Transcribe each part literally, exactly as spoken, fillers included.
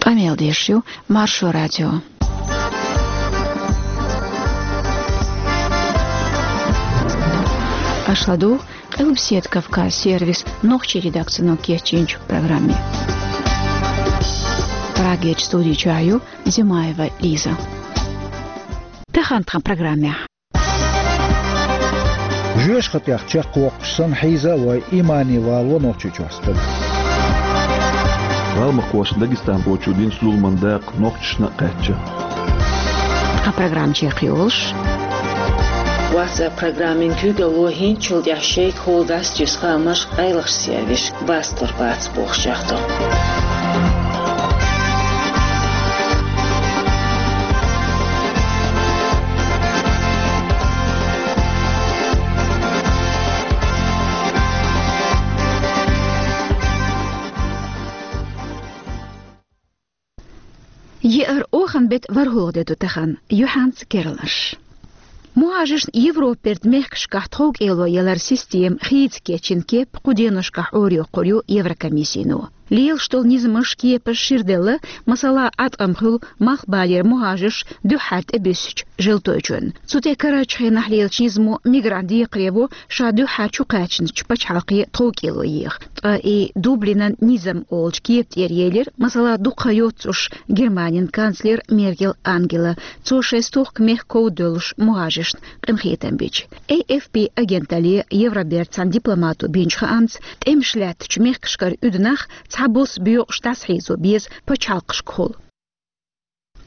Къамел деш ю Маршо радио. Аша ладугӀу Къилбаседа Кавказ сервисан нохчийн редакцино кечйинчу программе. Прагерчу студи чохь ю Зимаева Лиза. Тахана тхан программехь. Жоьжахатех чекхвоккхуш санна хьийза а вой, имане валаво Нохчийчохь стаг. ГӀалмакхошна Дагестанхочо динчу зуламан дакъа нохчашна а кхаьчна. Тхан программа чекхйолуш. WhatsApp программин куьйгалло хӀинцачул тӀаьхьа шайга хьулдастийса хаамаш къайлахчу сервисашка баскалур бац бохуш чохь ду. Еара оханан беттан ворхӀалгӀа де ду тахана, юьхьанца керланаш. МухӀажаршна Европерчу мехкашкахь тховкӀело яларан система хийца кечйина кеп кху деношкахь Ӏорайоккхур ю Еврокомиссино. Лелаш долу низамаш, кепаш шира делла, масала, Ӏаткъам хуьлу малхбалера мухӀажарш дуьххьара тӀебуьссучу желтойчунна. Цу тӀе карарчу хенахь лелачу низамо мигрант декхаре во ша дуьххьара чукхаьчначу пачхьалкхе тховкӀело еха. Ткъа и Дублинан низам олучу кепа тӀера елира, масала, дукха хан йоццуш Германин канцлер Меркел Ангела. Цо шайн стохка мехкан ков девллачу мухӀажаршна къинхетам бича. A F P агенталле Евробертан цхьана дипломато бинчу хаамца, тӀемаш лаьттачу мехкашкара уьду нах цхьабосса боькъуш дӀасахьийзо беза пачхьалкхашкахула.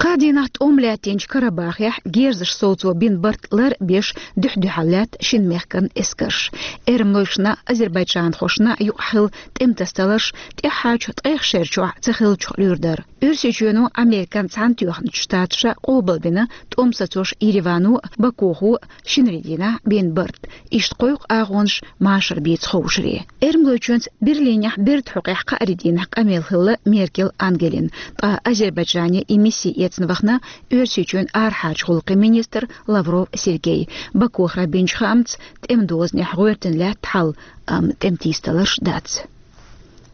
Кхаа дийнахь тӀом лаьттинчу Карабахехь герзаш совцо бина барт лар а беш, дуьхь-дуьхьал лаьтта шина мехкан эскарш. Эрмалойшна а, азербайджанхошна а юкъахь хилла тӀеман тасадаларш тӀаьххьарчу ткъех шерачохь ца хиллачух луьйр дара. Оьрсийчоьно Американ Цхьаьнатоьхначу Штаташа къобалбина тӀом сацош Еревано а, Бакухо а шинарин дийнахь бина барт. Иштта кхойкху агӀонаш машар бийца ховшаре. Эрмалойчоьнца Берлинехь берда хьокъехь кхаарин дийнахь къамел хилла Меркел Ангелин, ткъа Азербайджане и мисси эцна вахана Оьрсийчоьнан арахьарчу гӀуллакхийн министр Лавров Сергей. Бакухара бинчу хаамца, тӀеман дозанехь гӀоьртина лаьтта хьал, амма тӀеман тийсадаларш дац.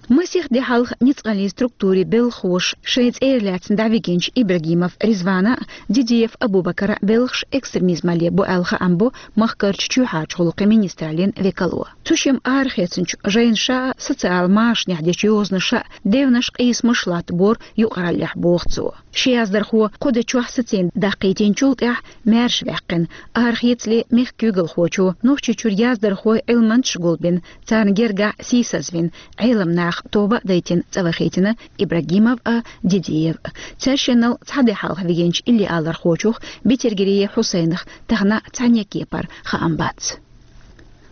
Масех де хьалха ницкъаллин структурийн белхахоша шайн цӀера лаьцна дӀавигинчу Ибрагимов Ризвана а, Дидиев Абубакара а белхаш экстремизмалле бу аьлла хаам бо махкарчу чоьхьарчу гӀуллакхийн министраллин векало. Цу шимма арахецначу жайнаша а, социал машанехь дечу йозанаша а девнаш, къийсамаш латтабора юкъараллехь, боху цо. Ши яздархо кху де чохь сацийна даккхийтинчул тӀаьхьа маьрша ваьккхина, арахецале мехкан куьйгалхочо Нохчийчуьра яздархой, Ӏилманчаш гулбина, царна гергахь сийсазвина, Ӏеламнаха тоба а дайтина, цӀа вахийтина Ибрагимов а, Дидиев а. Цаьршиннал цхьа де хьалха вигинчу иллиалархочух, Бетергериев Хьусайнах, тахана цхьанне кепара хаам бац.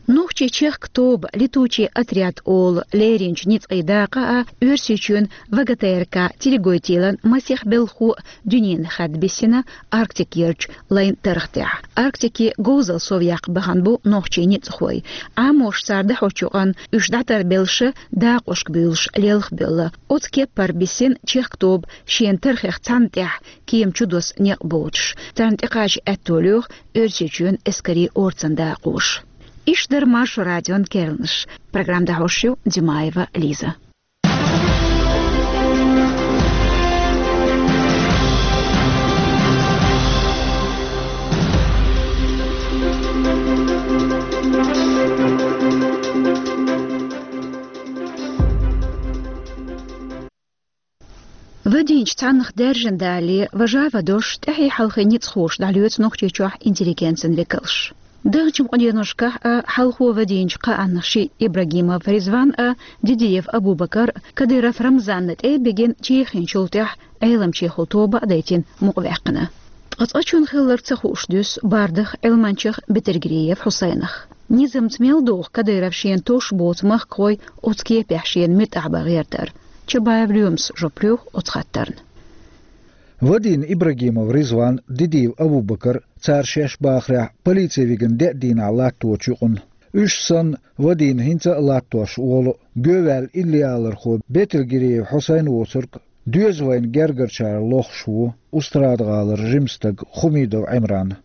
Нохчийн чехка тоба, летучий отряд олу, леринчу ницкъийн дакъа а, Оьрсийчоьнан В Г Т Р К Телегойтилан масех белхахо а дуьненан хадда биссина Арктикерчу лайн тархтехь. Арктике говзалла совъяккха бахана бу нохчийн ницкъахой. Ӏамош цара дӀахьочу юкъана уьш дӀатарбеллаш, дакъошка буьйлуш лелхабевлла. Оцу кеппара биссина чехка тоба шена тархех цхьанна тӀехь кема чу доссу некъ боцуш. Царна тӀекхача аьтто лоьху Оьрсийчоьнан эскарийн орцан дакъоша. Иштта дара Маршо радион керланаш. Программа дӀахьош ю Димаева Лиза. Вадийначу цхьаннах даьржина далале, важа а вадош, тӀаьхье-хьалхе ницкъахоша дӀалоьцу Нохчийчохь интеллигенцин векалш. Даханчу къуденошкахь а, хьалхо вадийначу кхааннах шиъ Ибрагимов Ризван а, Дидиев Абубакар а Кадыров Рамзанна тӀе а бигина, чехинчул тӀаьхьа Ӏеламчехула тоба а дайтина, мукъаваьккхина. Ткъа цкъачунна хилларг ца хууш дуьсу бардах, Ӏилманчех Бетергериев Хьусайнах. Низамца мел догӀу Кадыров шена тосуш боцу махкахой оцу кепехь шена муьтӀахь бан гӀертар? Чабаев Лоьмас жоп лоьху оцу хаттарна. Вадийна Ибрагимов Ризван, Дидиев Абубакар, цара шаьш бахарехь, полици вигина деа дийнахь латточу юкъана. Уьш санна, вадийна хӀинца а латтош волу, гоьваьлла иллиалархо Бетергериев Хьусайн воцург доьза вайна гергарчара лохуш ву Устрада-гӀалара жима стаг Хумидов Ӏимран.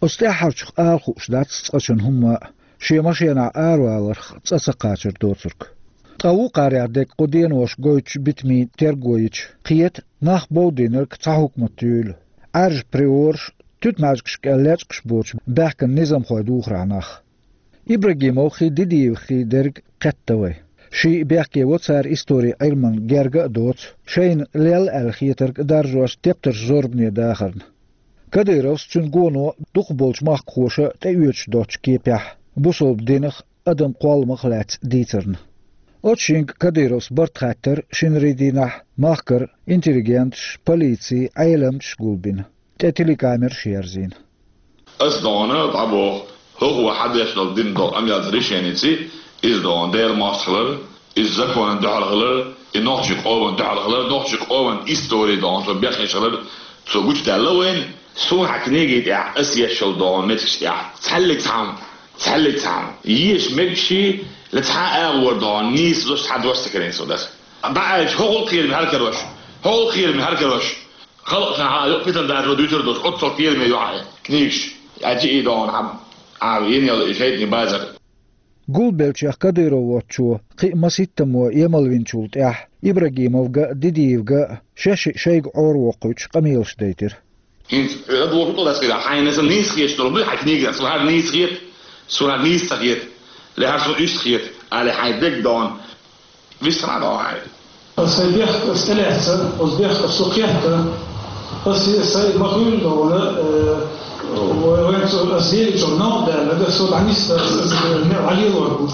Оцу тӀаьххьарчух ала хууш дац цкъачунна хӀумма а, шен машенахь араваларх цӀа ца кхачар доцург. Ткъа вукхарех дерг кху денош гойтуш битамийн терго йича, кхета нах бовдийнарг цхьа хӀукмат юйла. Ӏаьржа приораш, туьтмаьжгаш кӀел лечкъаш боцуш баьхкина низамхой духарехь нах. Ибрагимовхий, Дидиевхий дерг кхетта вай. Ший бехке во цара историн Ӏилман герга а доцу, шайна лелла аьлла хетарг а даржош тептарш зорбане дахарна. Кадыровс, цуьнан гоно дукхахболчу махкахоша тӀеоьцуш доцучу кепехь, бусалба динах, адам кхолламах лаьцна дийцарна. Оцу шинга Кадыровс барт хаттар шинарий дийнахь махкара интеллигенташ, полици, Ӏеламчаш гулбина, тӀе телекамераш ерзийна. Ас догӀана дӀабоху, хӀокхо хьан деш долу дина долу амелца решеница, иза догӀана Делан мостагӀалара, иза законан дуьхьал хилар, и нохчийн къоман дуьхьал хилар, нохчийн къоман истори догӀана, цо бехъеш хилар, цо гучудаьлла вайна. Суна хьан книги тӀехь ас еш йолу догӀана меттигаш тӀехь цхьаьллиг цхьа хӀума, цхьаьллиг цхьа хӀума, еш мегаш, ла цхьа а агӀор догӀана нийса дош, цхьа дош ца карийна со даса. ДӀааьлча, хӀокхул кхераме хьал карош, хӀокхул кхераме хьал карош. Халкъашна хьан юкъа питана даржо дуьйцур долуш, оццул кхераме ю хьан книгаш. Аьлча и догӀана хьан, а, йина йолу и шайтӀанийн базар. Гулбеллачех Кадыров воцучо кхин а масийттаммо емалвинчул тӀаьхьа Ибрагимовга а, Дидиевга а шаьш шайга Ӏоравоккхуьйтуш къамелаш дайтира. ХӀинца ладогӀа хӀун ду дацкъира, хьайна сан нийса хеташ долу дуй хьайн книгах, суна хӀара нийса хета, суна хӀара нийса ца хета, ле хӀара суна иштта хета, али хьайн дегга догӀана. Вист хьан а догӀу хьайна. Сайн бехк ас тӀелаьцна, оцу бехках со кхетта, ас сайн ма хуьйла догӀана, э, вай, вайн цо ас лелачух новкъа даьлла, ас со дӀанисса, ас, ас, э, не, Ӏалелор бу.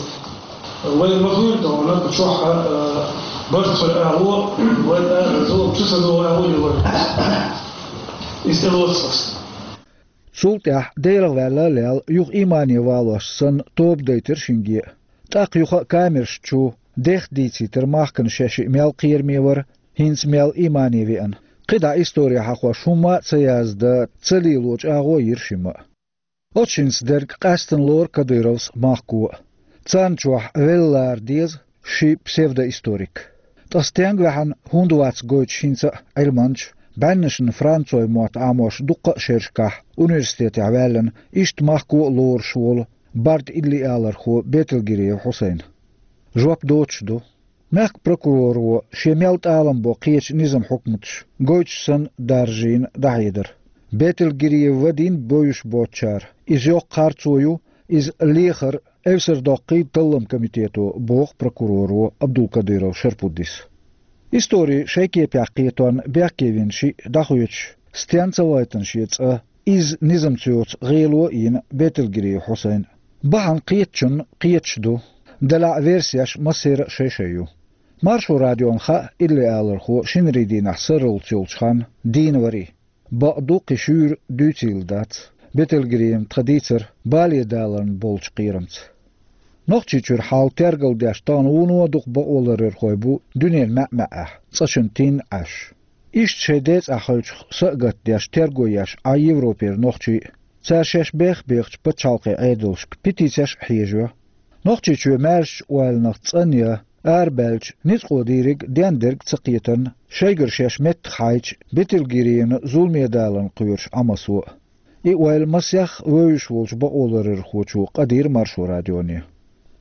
Вай ма хуьйла догӀана, чохь, э, барт хуьлу агӀо, вай, э, зулам чу ца догӀу агӀо йилла. Иза тӀелоцу ас. Цул тӀаьхьа Делах ваьлла а лелла, юха иймане валош санна, тоба дайтира шинге а. ТӀаккха юха а камераш чу дех дийцийтира махкана шаьш мел кхераме вара, хӀинца мел иймане веана. КхидӀа истори хьахош хӀумма а ца яздан, ца лелочу агӀо йира шимма а. Оцу шинца дерг къаьстина лору Кадыровс махко а. Царна чохь велла лара деза ши псевдоисторик. Ткъа стенга ваьхьана хӀунда вац гойтуш хӀинца а Ӏилманча, бӀеннашна францой мотт Ӏамош дуккха а шерашкахь университетехь ваьллина, иштта махко а лоруш волу барда иллиалархо Бетелгириев Хьусайн? Жоп доцуш ду. Мехкан прокуроро шен мел тӀалам бо кхечу низам хьукматаш гойтуш санна даржийна дӀахьедар. Бетелгириев вадийна бовзуш боцучара, иза йоккха харцо ю, иза лехар эвсар доккхий таллам комитето, боху прокуроро Абдулкадыров Шарпуддис. Истори шайн кепехь кхетон бехке вина шиъ дӀахоьцуш, стенна ца вайтана шен цӀа, иза низамца йоцу гӀело а йина Бетелгириев Хьусайн. Бахьана кхетачунна кхеташ ду, делахь версеш массеран а шай-шай ю. Маршо радиона хаьа иллиалархо шинарий дийнахь сарралц йолчу ханна дийна варий. Бакъду, кхин шуьйра дуьйцийла дац. Бетелгириевна тхан дийцар бале даларна болчу кхерамца. Нохчийчуьра хьал тергал деш тахана вуно а дукха бакъоларъярхой бу дуьненан маьӀ-маьӀӀехь, цӀа чун тин Ӏаш. Иштта шайн децӀахь хевшах са а гатдеш, терго еш Ӏа Европера нохчий а, цара шаьш бех-бехачу пачхьалкхийн Ӏедалшка петицеш а хьежайо. Нохчийчоь маьршачу ойланах цӀанъян а арабаьлча, ницкъо дийриг дендерг а ца кхетарна, шайгара шаьш меттах хьайча, Бетелгириевна зуламе даларна кхоьруш Ӏа массо а. И ойла масех вевзаш волчу бакъоларъярхочо къадийра Маршо радионе.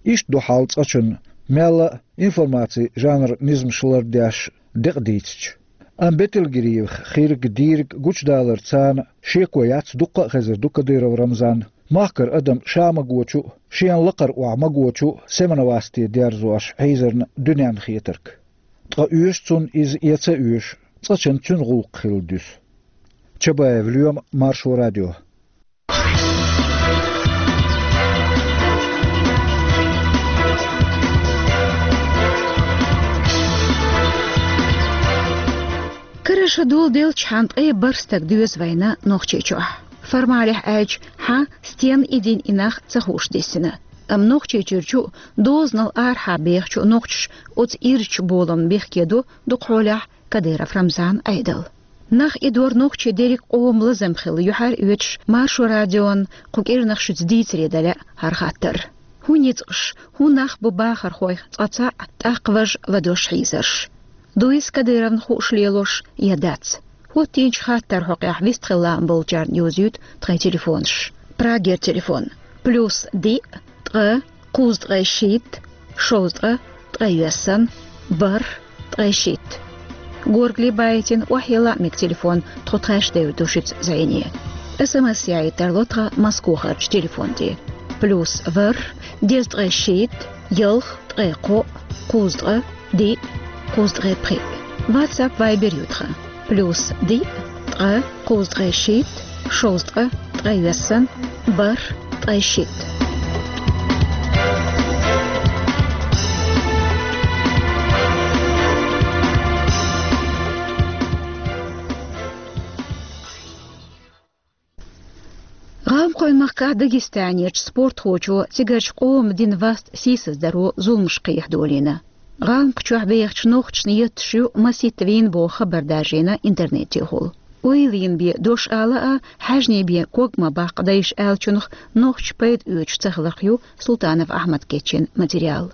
Иштта ду хьал цӀа чун, мелла а информацин жанран низамаш лардеш, декъа дийцича. Амма Бетелгириевх хирг дийриг гучудалар царна шеко яц, дуккха а хезар ду Кадыров Рамзан махкара адам ша магочу а, шена лакхара охьа магочу а Семеновасте дерзош хьийзарна дуьненна хетарг. Ткъа оьшу цунна иза я ца оьшу, цкъачунна цуьнан гӀуллакх хилла дуьсу. Чабаев Лоьма, Маршо радио. Кара ша доладелча хьан ткъе бархӀ стаг доьзна вайна Нохчийчохь. Формалехь аьлча, хьан стенна и дин, и нах ца хууш диссина. Амма Нохчийчуьрчу а, дозанал арахьа бехачу а нохчаша оцу ирчу боламна бехке до дукха хьолехь Кадыров Рамзан Ӏедал. Нах и дор нохчий дерриг къоман лазам хилла юьхьар оьцуш, Маршо радион кху кӀирнах шуьца дийцаре дан лаьа хӀара хаттар. ХӀун ницкъаш, хӀун нах бу бахархойх цкъа цхьаъ, тӀаккха важа ладош хьийзарш? Дуй иза Кадыровна хууш лелош я дац? ХӀоттийначу хаттаран хьокъехь вистхила лаам болчарна йовзуьйту тхайн телефонаш. Прагера телефон: плюс диъ, ткъа, кхузткъе шийтта, шовзткъа, ткъе йоьссан, бархӀ, ткъе шийтта. Горгали байтина охьелла мега телефон, тхо тхаьш девр ду шуьца зӀене. СМС яйта тарло тхан Москохарчу телефон тӀе. Плюс ворхӀ, дезткъе шийтта, ялх, ткъе кхоъ, кхузткъа, диъ, кхузткъе пхиъ. WhatsApp, Viber ю тхан. Плюс диъ, ткъа, кхузткъе шийтта, шовзткъа, ткъе йоьссан, бархӀ, ткъе шийтта. ГӀалмакхойн махкахь Дагестанерчу спортхочо цигарчу къоман дина васт сийсаздаро зуламаш кхехьа долийна. ГӀалмакхчохь бехачу нохчашна етташ ю масийтта вийна боху хабар даржийна интернетехула. Ойла йина бен дош ала а, хьаьжний бен ког ма баккха дайша аьллачунах нохчаша пайда оьцуш ца хиларх ю Султанов Ахьмада кечйина материал.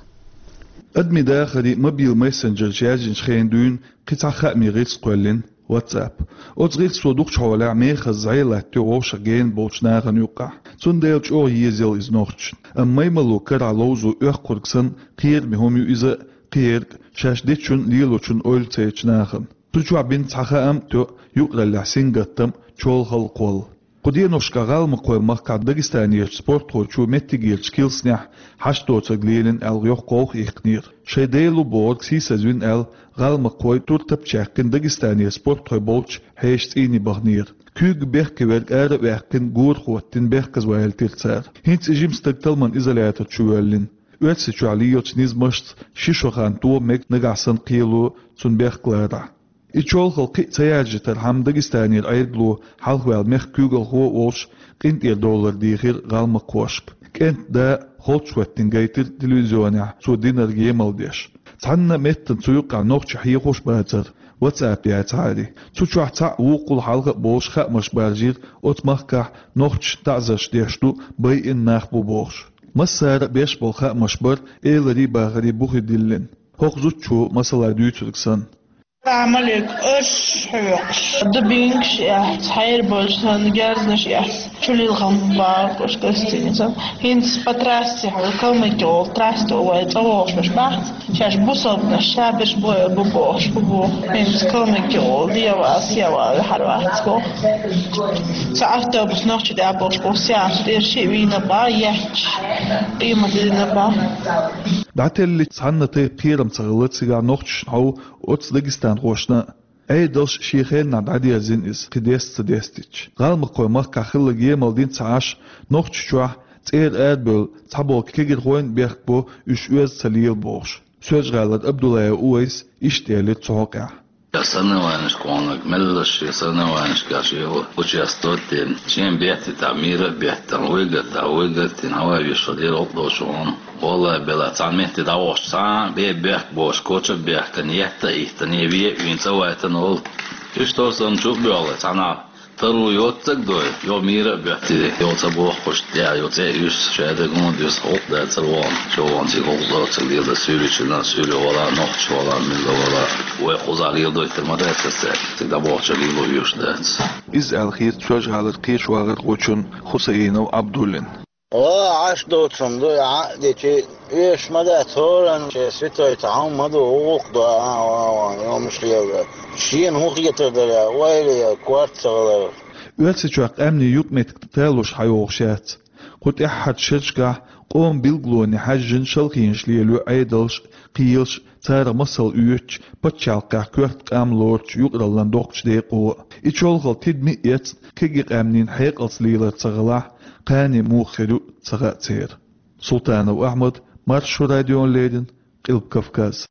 Адамийн дахаре мобил мессенджераш яьржинчу хенахь дуьйна кхин цхьа хаамийн гӀирс кхоьллина, WhatsApp. Оцу гӀирсо дукхачу хьолехь мехаза зӀе латтайо вовшах гена болчу нахана юккъехь. Цундела чӀогӀа езаелла иза нохчашна. Амма маймало карахь ловзо оьккхург санна, кхераме хӀума ю иза а, кхерг а, шаьш дечун а, лелочун а ойла ца ечу нахана. Цу чохь бина цхьа хаам а, тоьа а, юкъараллехь сингаттам а, чолхалла а, кхолла. Кху деношкахь ГӀалмакхойн махкахь Дагестанерчу спортхочо меттигерчу килснехь хьашт доцург лелийна аьлла йоккха гӀовгӀа иккхинера. Шайн дела ву бохург сийсазвина аьлла, гӀалмакхой туртап а чаьккхина Дагестанера спортхой болчу хьешан цӀийне баханера. Куьйга бехке верг ара а ваьккхина, гора хӀоттийна, бехказавалийтира цара. ХӀинца и жима стаг талламан изолятор чу воьллина. Оьрсийчохь лелачу низамашца ши шо хан тоха мега, нагахь санна кхело цунна бехк ларахь. И чолхалла кхин а ца яржийтархьама, Дагестанера Ӏедало, хьалхаваьлла мехкан куьйгалхо а волуш, къинтӀера доллар дийхира гӀалмакхошка. КӀентан да а, холчахӀоьттина гайтира телевизионехь цо динарг емал деш. Цхьанна а меттана цу юккъехь нохчий хьехош а бацара, WhatsApp яцахьара. Цу чохь цхьаъ вукхул хьалха а болуш хаамаш баржийра оцу махкахь нохчашна таӀзарш деш ду, байина нах бу бохуш. Массара а беш болу хаамаш бара, эларий, бахарий бу хи диллина. ХӀокху зудчо масала дуьйцург санна. Салам алейкум, аш хьоькхуш, дубинкаш эц, хьерболчу сан герзнаш эц, чулилхам бакъуш гостиница. ХӀинца по трассе хьо, Калмыкия олу трассе вай цӀа вогӀуш бац. Шаьш бусалбанаш, шаберш бу, бу бохуш, бу бу. ХӀинца Калмыкия олу, дева, сева, хьар вац боху. Цхьа автобус нохча тӀе а бохуш, боху, сеанс тӀера шиъ вийна бан, етташ, къемат дина бан. ДӀателлича цхьанна тайпа кхерам ца хилла цигахь нохчашна хьовха оцу дагестанхошна а. Ӏедалш шен хеннахь дӀадерзина иза, кхин деста ца дестича. ГӀалмакхойн махкахь хилларг емал дина ца Ӏаш, Нохчийчохь цӀера арабевлла цхьаболу кегирхойн а бехк бо, уьш оьзда ца лела бохуш. Соьлжа-ГӀалара Абдуллаев Увайс иштта элира цу хьокъехь. Я соревнованиешка ваханарг меллаша шен соревнованиешкахь шен участвовать дина, шен беттийтахь, мира а беттина, вуй гатахь, вуй гатдина, хьавай вешан дера гӀуллакх долчу хьуна. Валлай, бела, цхьана метте дӀавахча, цхьа а бен бехк бохуш, коча а бехкана, етта а йиттина, я вен а вийна, цӀа вайтина волу. Иштта санна чу а боьлла, цхьанхьа таро йоццаг дой, йо мира а боьттий, йо ца бохкуш, тӀе йо цӀе а юьсу, шадерг хӀума дуьсу, гӀуллакх дацара вон, чу вон цига гӀуллакх доцург лела, суьйличунна, суьйле вала, нохча вала, милла вала. Вай кхузахь леладойтар ма дац аса цаьрга, цига дӀабохча лело вуьйш дац. Иза аьлла хета Соьлжа-ГӀалара кхечу вахархочун Хусаинов Абдуллин. Ва Ӏаш доцун ду, Ӏа а дечи, оьшуш ма дац, хӀоранна шен святой цхьа хӀума ма ду, гӀуллакх до, а, а, а, йомаш лела. Шена хӀун хетар дара, ойла я, корта ца хилар. Оьрсийчохь къаьмнийн юкъаметтиг талуш хьайогӀуш яц. Кху тӀаьххьарчу шерашкахь къоман билгалонийн хьаьжжина шалхенаш лелайо Ӏедалш а, кхелаш а, царах масал оьцучу, пачхьалкхехь коьрта къам лоручу юкъараллан доккхачу декъо а. И чолхалла тидаме а эцна, кегий къаьмнийн хьекъалца лелар ца хилахь, кхане муха хир ю ца хаьа церан. Султанов Ахьмад, Маршо радиона леррина, Къилба Кавказ.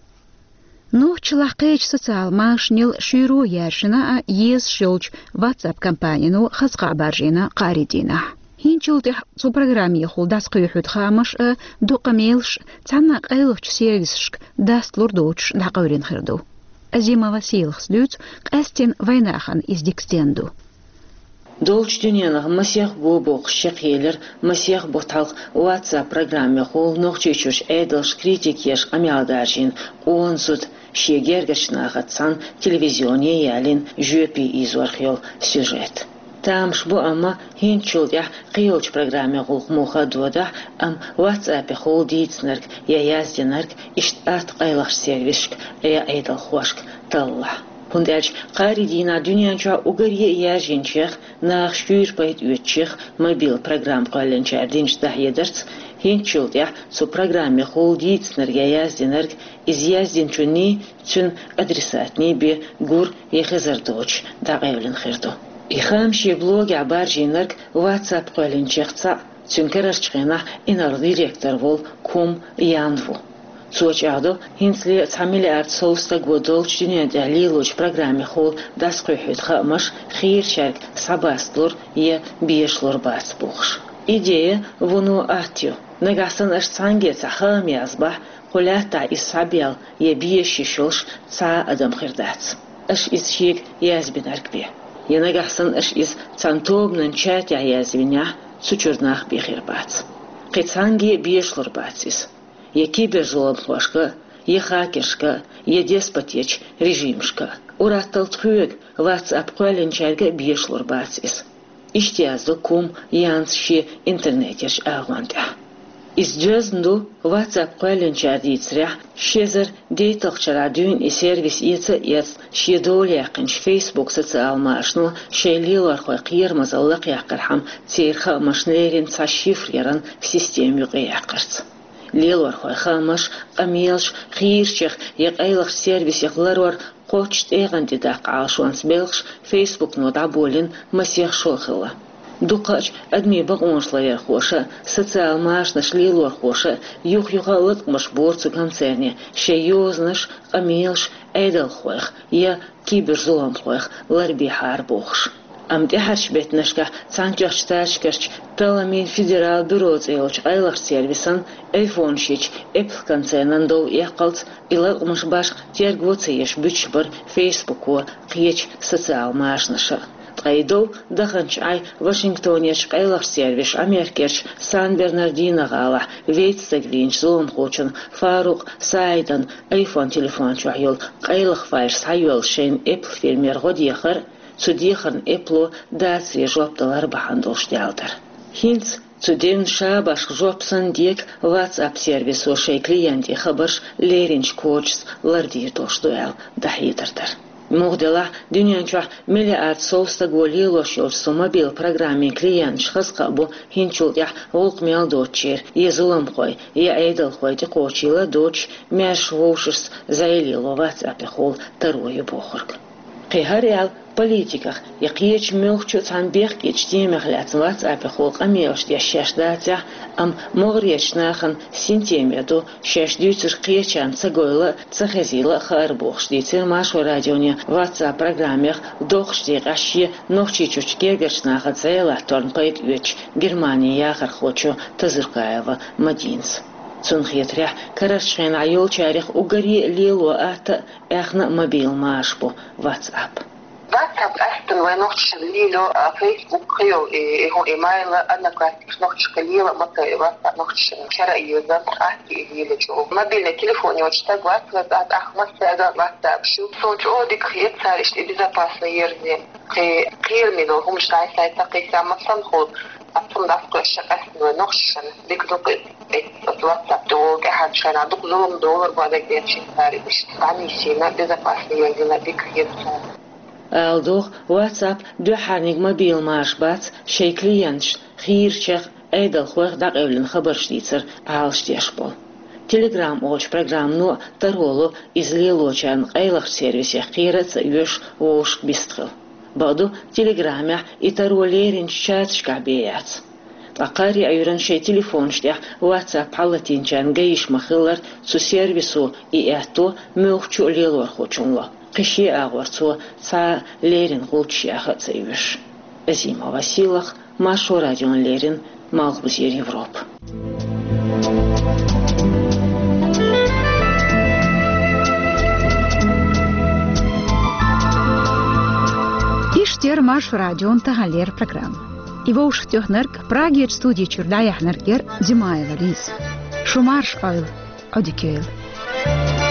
Нохчалахь кхечу социал машанел шуьйро яьржина а, езаш йолчу WhatsApp компанино хаза кхаъ баржийна кхаарин дийнахь. ХӀинцачул тӀаьхьа цу программехула дӀасакхоьхьуьйту хаамаш а, дукха мелаш а цхьана къайлахчу сервисашка дастлур доцуш дӀакъевлина хир ду. Азимова Сийлахас дуьйцу, къаьсттина вайнахана иза дика стенна ду. Долчу дуьненах масех бо бохуш чекхъелира масех бутт хьалха WhatsApp программехула Нохчийчуьрчу Ӏедалша критика еш къамел даржийна къона зуда, шен гергарчу нахаца цхьаьна телевизионе ялийна жоьпе ийзорх йолу сюжет. Тамаш бу, амма хӀинцачул тӀехь кхийолчу программин гӀуллакх муха а додахь, амма WhatsApp-ехула дийцинарг я яздинарг иштта атта къайлахчу сервисашка я Ӏедалхошка таллахь. ХӀунда аьлча кхаарин дийнахь дуьнен чохь уггаре а яьржинчех, наха шуьйра пайда оьцучех мобил программа кхоьллинчара динчу дӀахьедарца, хӀинцачул тӀехь цу программехула дийцинарг я яздинарг, иза яздинчунний, цуьнан адресатний бен гур я хезар доцуш дӀакъевлина хир ду. И хаам шен блогехь баржийнарг WhatsApp кхоьллинчех цхьаъ, цуьнан карарчу хенахь инарла директор волу Кум Ян ву. Цо чӀагӀдо, хӀинцале цхьа миллиард сов стаго долчу дуьнен тӀехь лелочу программехула дӀасакхуьйхьуьйту хаамаш хийрачаьрга схьабасталур я безалур бац бохуш. Идея вуно атта ю. Нагахь санна аша цхьаьнгге цхьа хаам язбахь, кху лаьттахь иза схьабелла я безаш йиш йолуш цхьа а адам хир дац, аша иза шега язбинарг бен. Я нагахь санна аша иза цхьана тобанан чатехь язвинехь, цу чуьра нах бен хир бац. Кхин цхьаьнгге а безалур бац иза. Я киберзуламхошка, я хакершка, я деспотечу режимашка. Ур-атталла тхоьга, WhatsApp кхоьллинчаьрга а безалур бац иза. Иштта яздо Кум Янс шен интернетерчу агӀон тӀехь. Иза доьзна ду, WhatsApp кхоьллинчара дийцарехь, ши эзар дейтталгӀачу шарахь дуьйна и сервис эца а эцна, шен дола яьккхинчу Facebook социал машано шайн лелорхойн кхерамазалла лакхъяккхархьама, церан хаамашна леррина цхьа шифр яран система юкъаяьккхарца. Лелорхойн хаамаш, къамелаш хийрачех я къайлахчу сервисех ларор кхоччуш тӀегӀан тӀе даккха Ӏалашонца белхаш Facebook-но дӀаболийна масех шо хилла. Дукхачу адамийн бакъонаш ларъярхоша а, социал машанашна лелорхоша а юх-юха а латкъамаш бора цу концерне, шайн йозанаш, къамелаш Ӏедалхойх я киберзуламхойх ларбехьара бохуш. Амма тӀаьхьарчу беттанашкахь Цхьаьнатоьхначу Штаташкарчу талламийн федерал бюро цӀе йолчу къайлахчу сервисан айфонаш йича Apple концернан дов эккхалц, и латкъамаш башха терго ца еш буьтуш бара Facebook-о, кхечу социал машанаша. Ткъа и дов даханчу Ӏай Вашингтонерчу къайлахчу сервиша Америкерчу Сан-Бернардино-гӀалахь вейтта стаг вийначу зуламхочун Фарукъ Саидан iPhone телефон чохь йолу къайлаха файлаш схьайоьллуш шайна Apple фирмера гӀо дехар, цу дехарна Apple-о дацаре жоп далар бахьана долуш даьлла дара. ХӀинца цу девнан шабашка жоп санна дека WhatsApp сервисо шайн клиентийн хабарш леринчу кодашца лардийр долуш ду аьлла дӀахьедар дара. Муха делахь, дуьнен чохь миллиард сов стаго лелош йолчу цу мобил программин клиенташ хаза кхаъ бу хӀинцачул тӀехь гӀуллакх мел доцучеран я зуламхой, я Ӏедалхой тӀекхочийла а доцуш, маьрша вовшашца зӀе лело WhatsApp-эхула таро ю бохург. Кхин хӀара аьлла, политиках я кхечу муьлххачу а цхьана бехкечу темех лаьцна WhatsApp-эхула къамелаш деш шаьш дацахь, амма могӀарерчу нахана синтеме ду, шаьш дуьйцург кхечарна ца гойла а, ца хезийла а хаар бохуш, дийцира Маршо радионе WhatsApp программех доккхачу декъехь шен Нохчийчуьрчу гергарчу нахаца зӀе латторна пайда оьцучу Германин яхархочо Тазуркаева Мадинас. Цунна хетарехь, карарчу хенахь йолчарех уггаре а лело атта а, аьхна а мобил маша бу WhatsApp. WhatsApp къаьсттина вайн нохчашна лело, а, Facebook кхин йолу и, и хӀун, и Mail, Одноклассникаш нохчашка лела а ма ца, и WhatsApp нохчашна кара а еза, атта и лелачу. Мобильный телефон йоцу стаг вац, вац, а, тӀаккха массаьрга а WhatsApp шу. Суна чӀогӀа дика хета цара иштта и безопасный ерзина. Кхин кхераме долу хӀуманаш дӀасай ца кхийса, ма санна хуьлу, а, цунна дӀасакхоьссича къаьсттина вайн нохчашна дика ду-кх иза. Оцу WhatsApp тӀехула тӀаьхьарчу шарахь дукха зулам долура, бадагӀерчу цара иштта дӀанисйина, безопасный ерзина дика хета суна. Ала догӀу, WhatsApp дуьххьарниг мобил маша бац шайн клиенташна хийрачех, Ӏедалхойх дӀакъевлина хабарш дийцар Ӏалашдеш болу. Telegram олучу программано а таро ло иза лелочарна къайлахчу сервисех кхера а ца оьшу вовшашка бистхила. Бакъду, Telegram-ехь и таро леринчу чаташкахь бен яц. Ткъа кхари Ӏуьйранна шайн телефонаш тӀехь WhatsApp хьалатийначарна ган йиш ма-хиллара, цу сервисо и аьтто муьлххачу а лелорхочунна ло, кхин шен агӀор цо цхьа а леррина гӀулчаш яха а ца оьшу. Азимова Силах, Маршо радиона леррина, Малхбузера Европа. Иштта яра Маршо радион таханлера программа. И вовшахтоьхнарг, Прагерчу студи чуьра дӀаяьхьнарг яра Димаева Лиза. Шу марша Ӏойла, Ӏодика йойла.